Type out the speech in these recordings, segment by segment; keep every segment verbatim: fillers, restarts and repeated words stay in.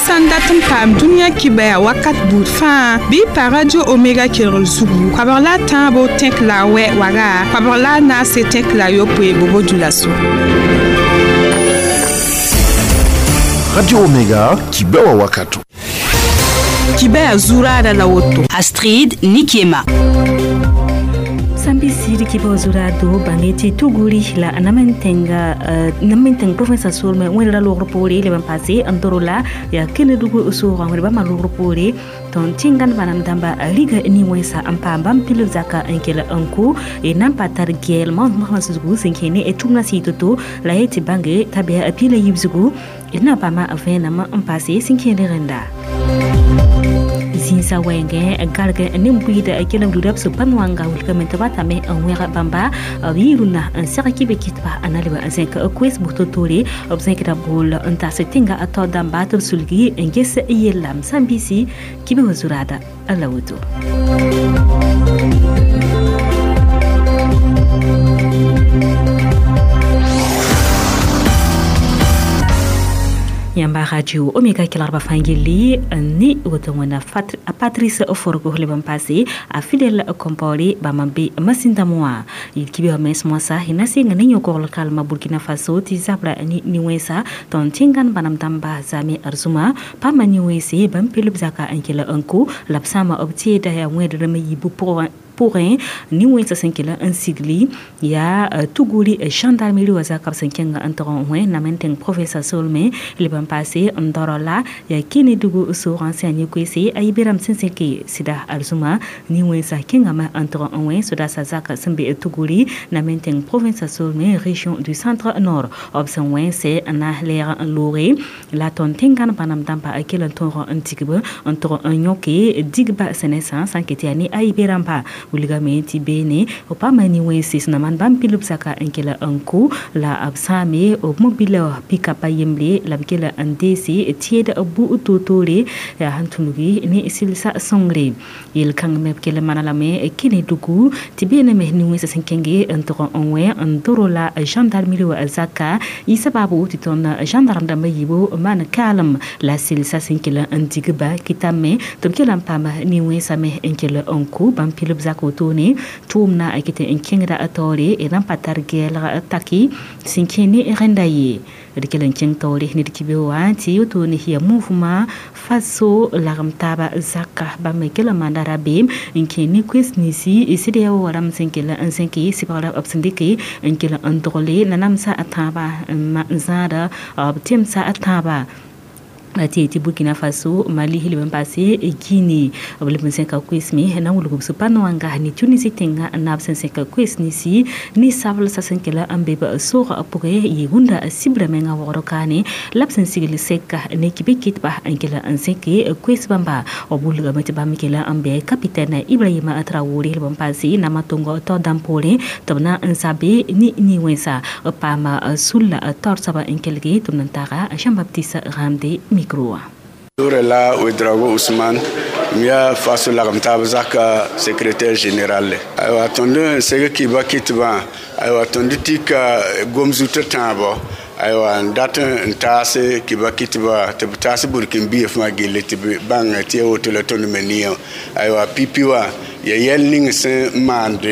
sã n dat n paam dũniyã kibaya wakat buud fãa bɩ pa Radio Omega kelgr zugu koabg la a tãabo tẽk la a wɛ waga koabg la a naase tẽk la a yopoe bobo dulaso. Radio Omega kibewa wakato. Kibaya zurada la woto. Astrid Nikiema. Sambi siri kiba zurado bangeti tuguri la namentenga namenteng province solme wẽra logr poore le ban pase n doro la ya Kenedugu soogã wẽd bãmba logr poore tõnd tẽngan bãnam dãmba riga nin-wẽnsa n paam bãmb pilb zaka n kell n kʋ y nan pa tar gɛɛlmã mosmã zugu sẽn kẽ ne tʋmna sɩɩ to-to la ye tɩ bãnge t'a bɩa pila yib zugu d na paama vẽenam n pase sẽn kẽed rẽnda zĩnsã wɛɛngẽ garg ne buiida kelem duda b sẽn wanga wilgame tɩ ba tame n wẽg bãmba b yɩ rũnna n seg kɩbe kɩtba a na leb n zẽk koes bʋ to-toore b zẽkda bool n tas tẽnga a tao dãmba tɩ b sulgi n ges yellam sãn-biisi kɩbe wa zuraada la woto. Yamba Radio Omega kelarba fangili ni woto wona Patrice Forgo le ban passé a Fidel Compaoré ba mambe masinda moa kibe ha mes mosa hina singa ni nyoko kalma Burkina Faso ti zabra ni ni wesa ton tingan banam damba zame arzuma pa mani wese ban pilub zaka ankela anko lapsama obti da ya wedre me yibu pour pʋgẽ nin-wẽnsã sẽn kell n sigli yaa tuguri gendarmerie wa zakab sẽn kẽnga n tog n wẽ namenteng province solme leb n paase n doro la yaa Kenedugu soogã sẽn yaa ne-koeese a yibeerame sẽn sẽke sɩda arzũma nin-wẽnsã kẽngame n tog n wẽ sodaasã zak sẽn be tuguri namenteng province solme région du centre nord b sẽn wẽ sɛ n na lɛɛg n looge la tõnd tẽngan bãnam dãmba kell n tõog n tigb n tog n yõke digba sẽnesã sã n ket yaa ne a yibe-rãmba wilgame tɩ beene b paama nin-wẽnse sẽn na maan bãmb pilb zaka n kell n kʋ la b sãame b mobila pikap a yembre la b kell n deese tẽed bu to-toore yaa sẽn tũnugi ne sɩlsa sõngre yel-kãng me b kell n maana lame Kenedugu tɩ beename nin-wẽnsã sẽn kẽnge n tog n wẽ n doro la gendarmerie wa zaka yɩ sababu tɩ tõnd gendarme dãmbã yiibu maan kaalem la sɩlsa sẽn kell n digba kɩtame tɩ b kell n paam nin-wẽnsã me n kell n kʋ bãmb pilb zak wotone tʋʋmna a ket n kẽngda a taoore d na n pa tar gɛɛlg taki sẽn kẽ ne rẽnda ye d kell n kẽng taoore ned kibe wã tɩ wotone yaa mouvement Faso lagem taaba zaka bãmb me kell n maanda rabeem n kẽ ne koes ninsi sɩd yaa wa rãmb sẽn kell n zẽke sɩbgra b sẽn dɩke n kell n dogle nanamsa a tãabã n zãada b temsa a tãabã tɩ tɩ Burkina Faso Mali leb n paase Guinée b leb n sẽka koes me na n wilg b sũ-pa-noanga ne Tunisie tẽngã naab sẽn sẽka koes ninsi ne sablsã sẽn kell n be b soogã pʋgẽ yɩ rũndã sibra menga waoogr kaane la b sẽn sigl sɛka ne kibe kɩtba n kell n zẽke koes bãmba b wilgame tɩ bãmb kell n bɩ capitaine Ibrahima Traoré leb n paase nama tõng tao dãmb poorẽ tɩ b na n zabe ne nin-wẽnsa b paama sulla taoor soaba n kelge tɩ b na n taaga Jean-Baptiste Ramde micro. La Ouedraogo Ousmane, miya Faso lagm taab zaka secrétaire général. Aywa tõnd n seg kiba kɩtbã, aywa tõnd tika gom-zutã tãabo, aywa n dat n taas kiba kɩtba tɩ b taas burkin-biya fãa gilli tɩ b bãng tɩ ya woto la tõnd me nia. Aywa pipi wã ya yɛl ning sẽn maand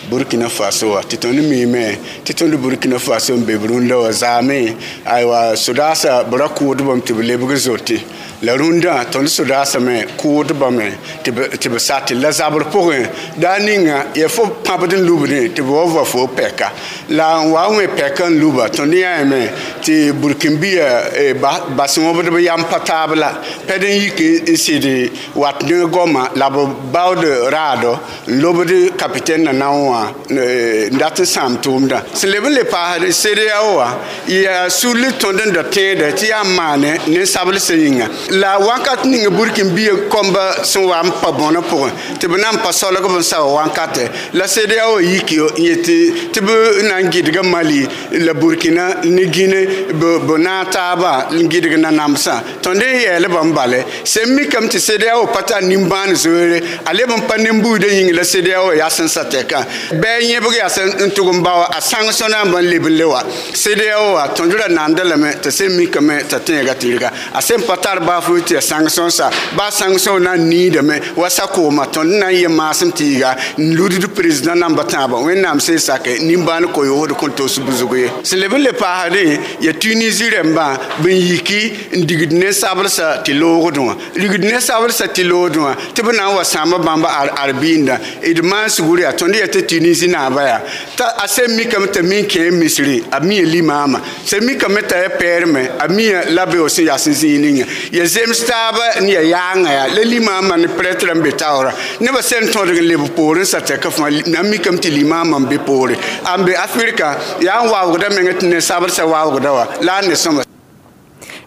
Burkina Faso wã tɩ tõnd miime tɩ tõnd Burkina Faso n be b rũndã wã zaame aywa sodaasã b ra kʋʋdbame tɩ b lebg zote la rũndã tõnd sodaasã me kʋʋdbame tɩ b sate la zabr pʋgẽ daa ninga ya fo pãbd n lubdẽ tɩ b wa va fo pɛka la n wa n wẽ pɛka n luba tõnd yãame tɩ burkin-biya bas wõbdb yam pa taab la pɛd n yik n sɩd wat ne goama la b baood raado n lobd capitaine na na wã n dat n sãam tʋʋmdã sẽn leb n le paasd CEDEAO wã yaa sulli tõnd n da tẽeda tɩ yaa n maane nin-sablsã yĩnga la wakat ning burkin-biya kõmba sẽn wa n pa bõnã pʋgẽ tɩ b na n pa solg b n sao wankatɛ la CEDEAO yik n yetɩ tɩ b na n gɩdga Mali la Burkina ne Guinée b naag taaba n gɩdg nanamsã tõnd Tõnd n yɛɛl bãmb bale sẽn mikame tɩ CEDEAO pa tar nimbãan zoeere a leb n pa nin-buudã yĩng la CEDEAO yaa sẽn sa tɛkã bɩ a yẽbg yaa sẽn tʋg n bao a sãng sõna n ban leb n le wa CEDEAO wa tõnd ra nanda lame t'a sẽn mikame t'a tẽega tɩrga a sẽn pa tar baafʋ tɩ ya sãng sõnsa baa sãng sõn na n niidame wa sa-kooma tõnd na n yẽ maasem tɩ yɩga n ludd président namba tãabã wẽnnaam sẽn sake nimbãan koyoosd kõn tos buzg ye sẽn leb n le paasdẽ ya Tunisie rẽmbã b n yiki n digd nen-sablsã tɩ loogdẽ wã rigd nen-sablsã tɩ loogdẽ wã tɩ b na n wa sãamba bãmb ar-biindã d maan sugr yaa tõnd yaa tɩ Tunisie naaba yaa t'a a sẽn mikame t'a min kẽ misri a mi limaama sẽn mikame t'a ya pɛɛrme a mi la be sẽn yaa sẽn zĩig ninga ya zems taaba n ya yaanga yaa la limaama ne prêtre n be taoora nebã sẽn tõdg n leb poorẽ sa tɛka fãa na n mikame tɩ limaama n be poore a n be Afrika yaa n waoogda menga tɩ nen-sablsã waoogda wa la a ne sõma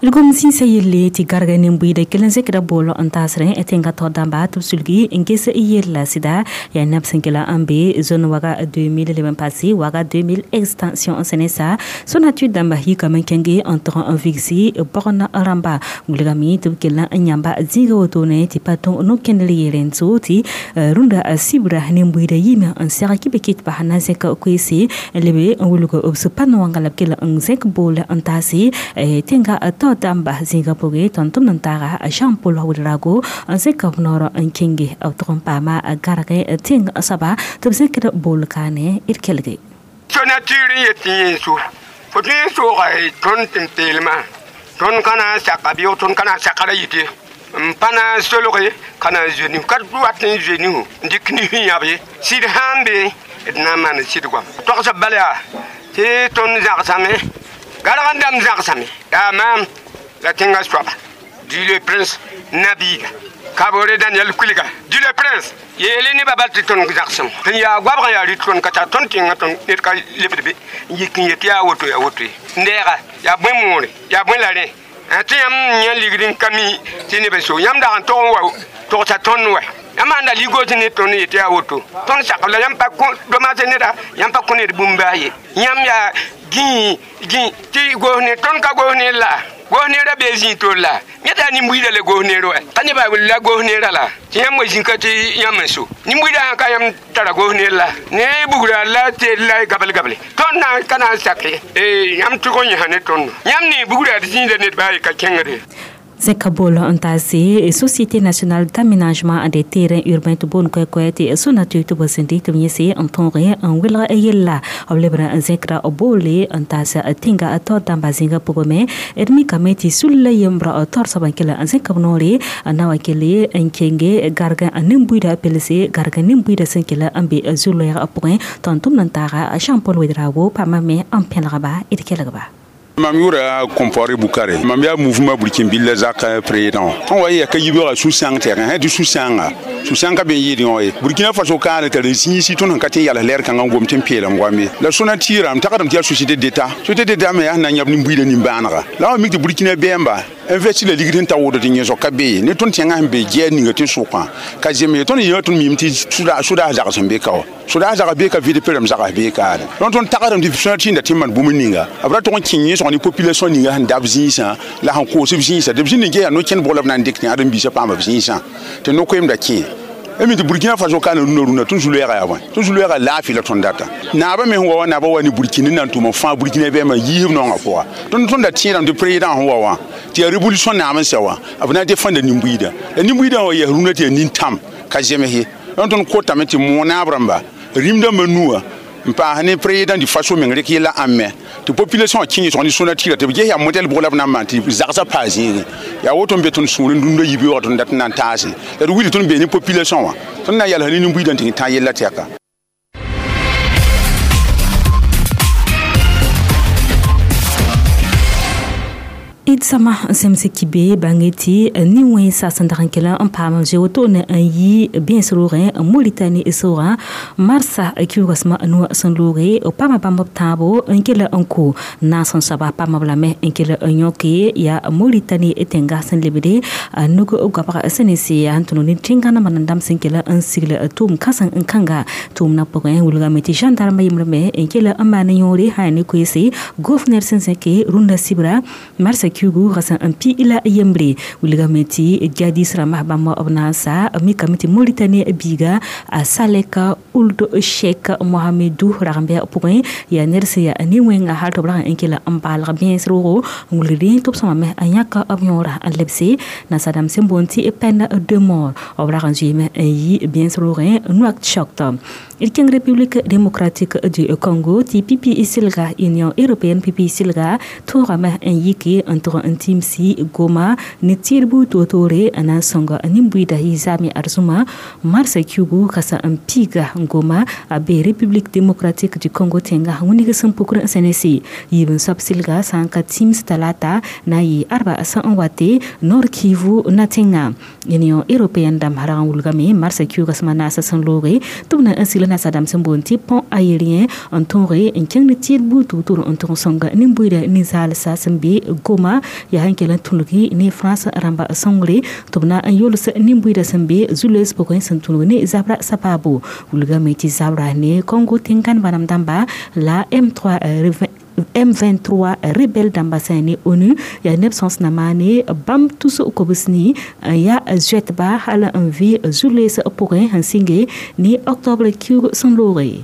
Lgom sĩnsa yelle tɩ garga nin-buiida kell n zẽkda bool n taasrẽ tẽngã tao dãmba tɩ b sulgi n ges yella sɩda yaa neb sẽn kela n be zone waga deux mille leb n paase waga deux mille extension n sẽne sa Sonatu dãmba yikame n kẽnge n tog n vigsi bogn rãmba wilgame tɩ b kell n yãmba zĩiga wotone tɩ pa tõe no-kẽndr yeele n so tɩ rũndã sibra nin-buiida yiime n seg kɩ be kɩt bas na zẽk koeese lebe n wilg b sẽn pa no-wãnga la b kell n zẽk bool n taase tẽngã tao dãmba zĩigã pʋgẽ tõnd tʋmd n taaga Jean Paul Ouedraogo n zẽk b noor n kẽnge b tʋg n paama garg tẽng soaba tɩ b zẽkd bool kaane d kelge Sonature yet yẽ so fo tõe n sooga tõnd tɩ n peelmã tõnd ka na n saka bɩ tõnd ka na n sakra yɩte n pa na n solge ka na n zoe nisu ka wat n zoe nisu n dɩk nisu yãb ye sɩd sã n be d na n maan sɩd goam togsb bal yaa tɩ tõnd zãgsame garg n dãmb zãgsame yaa maam la tẽngã soaba dit le prince Nabiga Kabore Daniel Kuliga dit le prince yeele nebã bal tɩ tõnd zãgsem sẽn yaa goabg n yaa rɩt tõnd ka tar tõnd tẽngã tõnd ned ka lebd be n yik n yet yaa woto yaa woto ye n deega yaa bõe moore yaa bõe la rẽ tɩ yãmb yã ligd n ka mi tɩ neb n so yãmb dag n tog n wa togsa tõnd wa yãmb ãnda ligos ne tõnd yet yaa woto tõnd sakb la yãmb pa domase neda yãmb pa kõ ned bũmb baa ye yãmb yaa gĩi gĩi tɩ goos ne tõnd ka goos ne la goos neerã bee zĩig tol la yẽ t'a nin-buiidã le goos neer wa ka nebã la goos neerã la tɩ yãmb wa zĩka tɩ yãmb n so nin-buiidã sã ka yãmb tara goos neer la ne bugra la teel la gabl gable tõnd na ka na n sak ye yãmb tʋg n yẽsa ne tõndo yãmb ne bugra d zĩigda ned baa ye ka kẽngde Zẽka bool n taase Société nationale d'aménagement des terrains urbains tɩ boond koɛ-koɛ tɩ Sonatu tɩ b sẽn dɩk tɩ b yẽse n tõoge n welg yella b lebr n zẽkra boole n taas tẽnga tao dãmba zĩigã pʋgẽ d mikame tɩ sul la yembra taoor soab n kell n zẽk b noore n na wa kele n kenge garg nin-buiidã pelse garg nin-buiidã sẽn kell n be zu-loɛɛg pʋgẽ tõnd tʋmd n taaga Jean Paul Ouedraogo paama me n pẽlgba d kelgba Mam yʋra Compaoré Bukare mam yaa mouvement burkinbil zak président tõnd wa yɛka yibeoogã sũ-sãng tɛkẽ sã tɩ sũ-sãnga sũ-sãng ka be n yɩɩd yõ ye Burkina Faso kaane t'a zĩisi tõnd sẽn ka tɩ n yals lɛɛr kãngã n gom tɩ n peelem goam ye la Sonature m tagdame tɩ yaa société d'état société d'état me yaa sẽn na n yãb nin-buiidã nin-bãanega la wa mik tɩ Burkina bɛɛmba investi la ligd sẽn ta wʋd tɩ yẽsg ka be ye ne tõnd tẽngã sẽn be gɛɛr ninga tɩ sʋkã ka zems ye tõnd yã tõnd mim tɩ sodaas zags sẽn be ka wa sodaas zags bee ka V D P rãmb zags bee kaane donc tõnd tagdame tɩ Sonature da tɩ n maan bũmb ninga b ra tʋg n kẽ yẽsg ne population ninga sẽn dab zĩisã la sẽn koos b zĩisã tɩ b zĩnd n ges yaa no-kẽnd bʋg la b na n dɩk tɩ ãdem-biisã paama b zĩisã tɩ no-koeemda kẽ mi tɩ Burkina Faso kaana rũnã rũnã tõnd zu-loɛɛga yaa bõe tõnd zu-loɛɛga laafɩ la tõnd data naabã me sẽn wa wa naabã wa ne Burkina n na n tʋm n fãa Burkina bɛɛmã yiisb naongã pʋga tõnd tõnd da tẽedame tɩ président sẽn wa wã tɩ yaa révolution naam n sɛ wã b na n défendre nin-buiidã la nin-buiidã wa yɛs rũnã tɩ yaa nin-tãm ka zems ye donc tõnd kotame tɩ moog naab rãmba rĩmdãmbã nuwã n paas ne président du Faso meng rɩk yella ãmme tɩ population wã kẽ yẽsg ne Sonature tɩ b ges yaa modɛl bʋg la b na n maan tɩ zagsã paa zĩigẽ yaa woto n be tõnd sũur n dũndã yibeoogã tõnd dat n na n taase la d wilg tõnd bee ne population wã tõnd na n yalsa ne nin-buiidã tɩ tã yella tɛka D sõma n sẽmse kibe bãnge tɩ nin-wẽnsa sẽn dag n kell n paam n zoe wotone n yi bẽes roogẽ Moritani soogã marsa kiuuga sõma nuwã sẽn looge paama bãmb b tãabo n kell n ko naas n soaba paama b lame n kell n yõke yaa Moritani tẽnga sẽn lebde nug goabg sẽn ne se yaa n tõnd ne tẽngã nambã nan dãmb sẽn kell n sigl tʋʋm kãseng n kãnga tʋʋmdã pʋgẽ wilgame tɩ gendarme yembre me n kell n maan yõore sã yaa ne koeese gouverneur sẽn zẽke rũndã sibra marsa kiugu rasa n pi la yembre wilgame tɩ jihadis rãmba bãmb b na n sa mikame tɩ Mauritanie biiga a Salek Ould Cheikh Mohamedou rag n bɩ pʋgẽ yaa ned sẽn yaa ne-wẽnga hal tɩ b rag n kela n baalg bẽes roogo n wilgd tɩ b sõmame n yãk b yõora n lebse nasadãmb sẽn boond tɩ peine de mort b rag n zoeeme n yi bẽes roogẽ Nouakchott. D kẽng République démocratique du Congo tɩ pipi sɩlga Union européenne pipi sɩlga tõogame n yike n tʋg n tĩmsi Goma ne tɩɩdbu toor-toore n na n sõng nin-buiida yɩ zaame arzũma marsa kiugu kasa n piiga Goma a be République démocratique du Congo tẽnga wĩneg sẽn pukr n sẽnese yiib n soab sɩlga sã n ka tĩms talata na n yɩ arba sẽn n wate Nord Kivu na tẽnga Union européenne dãmb rag n wilgame marsa kiuga sẽm a naasã sẽn looge tɩ b na n sɩl nasadãmb sẽn boond tɩ pont aérien n tõoge n kẽng ne tɩɩd buud tʋg-tʋr n tʋg n sõng nin-buiida nin-zaalsa sẽn be Goma yaa sẽn kell n tũlgi ne France rãmba sõngre tɩ b na n yols nin-buiida sẽn be zu-loees pʋgẽ sẽn tũlg ne zabra sabaabo wilgame tɩ zabra ne Congo tẽn-gãn bãmb dãmba la M trois M vingt-trois rebelle dãmba sã ne ONU yaa neb sõs na maane bãmb tus kobs ni n yaa zoɛtba hal n vɩ zu-loees pʋgẽ sẽn sɩnge ne octobre kiuug sẽn looge.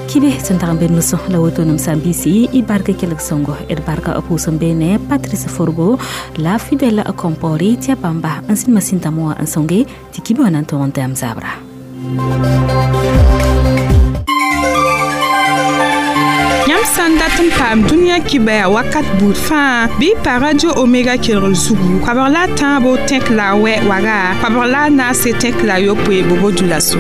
Kibe sẽn tag n be nusẽ la woto nem sã-biisi y bark kelg sõngo d barka pʋʋs n beene Patrice Forgo la Fidèle Compaoré tɩ a bãmba n sĩnd masĩn-dãmbã wã n sõnge tɩ kibe wã na n tõg n tɛm zabra. Yãmb sã n dat n paam dũniyã kibɛa wakat buud fãa bɩ y pa Radio Omega kelgr zugu koabg la a tãabo tẽk la a wɛ waga koabg la a naase tẽk la a yopoe bobo dulaso.